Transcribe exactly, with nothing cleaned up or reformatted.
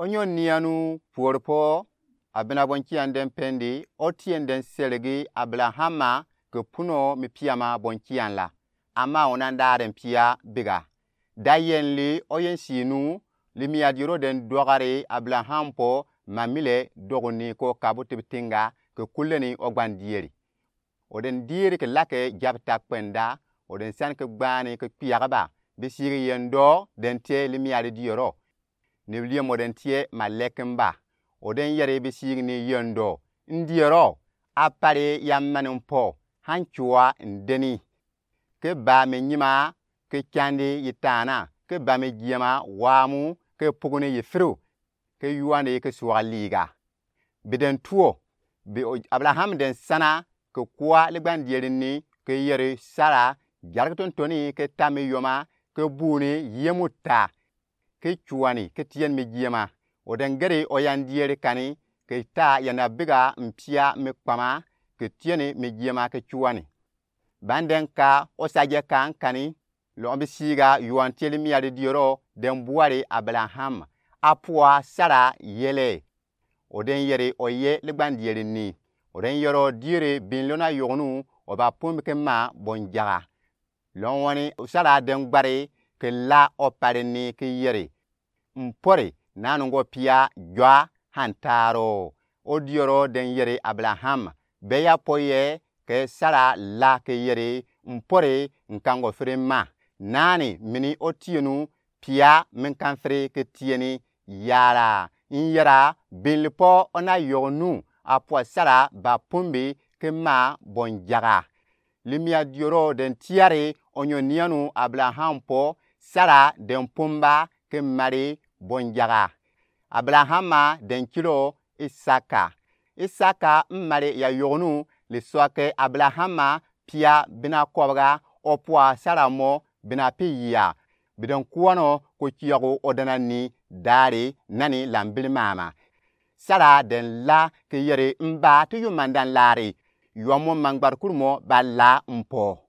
Onyo nianu puorpo, abinabonkian den pendi, otien den selegi Abrahama ke puno mi piama bonkian la. Ama onan da den pia biga. Da yenli oyen sinu, limia dioro den dogari Abraham po, mamile doguni ko kabu tibitinga ke kuleni ogban dieri. Oden dieri ke lake jabta kpenda, oden san ke gbani ke kpiagaba, bisigi yendo den tie limia dioro. Ni liemo den tie ma lekin ba. Oden yeri bisigi ni yendo. Ndiero, apari ya mani mpo, han cua ndeni. Ke ba mi nyima, ke candi yi tana, ke ba mi jiema wamu, ke puguni yi firu, ke yuani ke suaga liga. Bi den tuo, bi o-, Abraham den sana, ke kua ligban dieri ni, ke yeri Sara, jariki tontoni, ke ta mi yoma, ke buni yemu ta. Ke cuani, ke tieni mi jiema. Oden geri oyan dieri kani, ke ta yana biga mpia mi kpama, ke tieni mi jiema ke cuani. Banden ka osaje kan kani, lɔn bisiga yuan tie limia dioro, den buari Abraham. Apua Sara yele. Oden yeri oye ligban dieri ni. Oden yero dieri bin lona yogonu, oba pumbi ke ma bonjaga. Lɔn wani Sara den gbari ke la opari ni ke yeri. Mpori, nanu ngo pia jua hantaro. Odioro den yeri Abraham. Beya poye ke Sara la ke yeri, mpori nka ngo firi ma. Nani mini otienu pia mi nka firi ke tieni yara. Nyara binlipo ona yogonu apua Sara ba pumbi ke ma bonjaga. Limia dioro den tiari onyo nianu Abraham po Sara den pumba ke mari bonjaga. Abrahama den kilo Isaka. Isaka mmari ya yogonu lisua ke Abrahama pia bina kɔbga opua Sara mo bina pi yia. Bi den kuano ko kiago odana ni dari nani lambili mama. Sara den la ke yeri mba ti yu mandan lari. Yua mo mangbar kuru mo ba la mpo.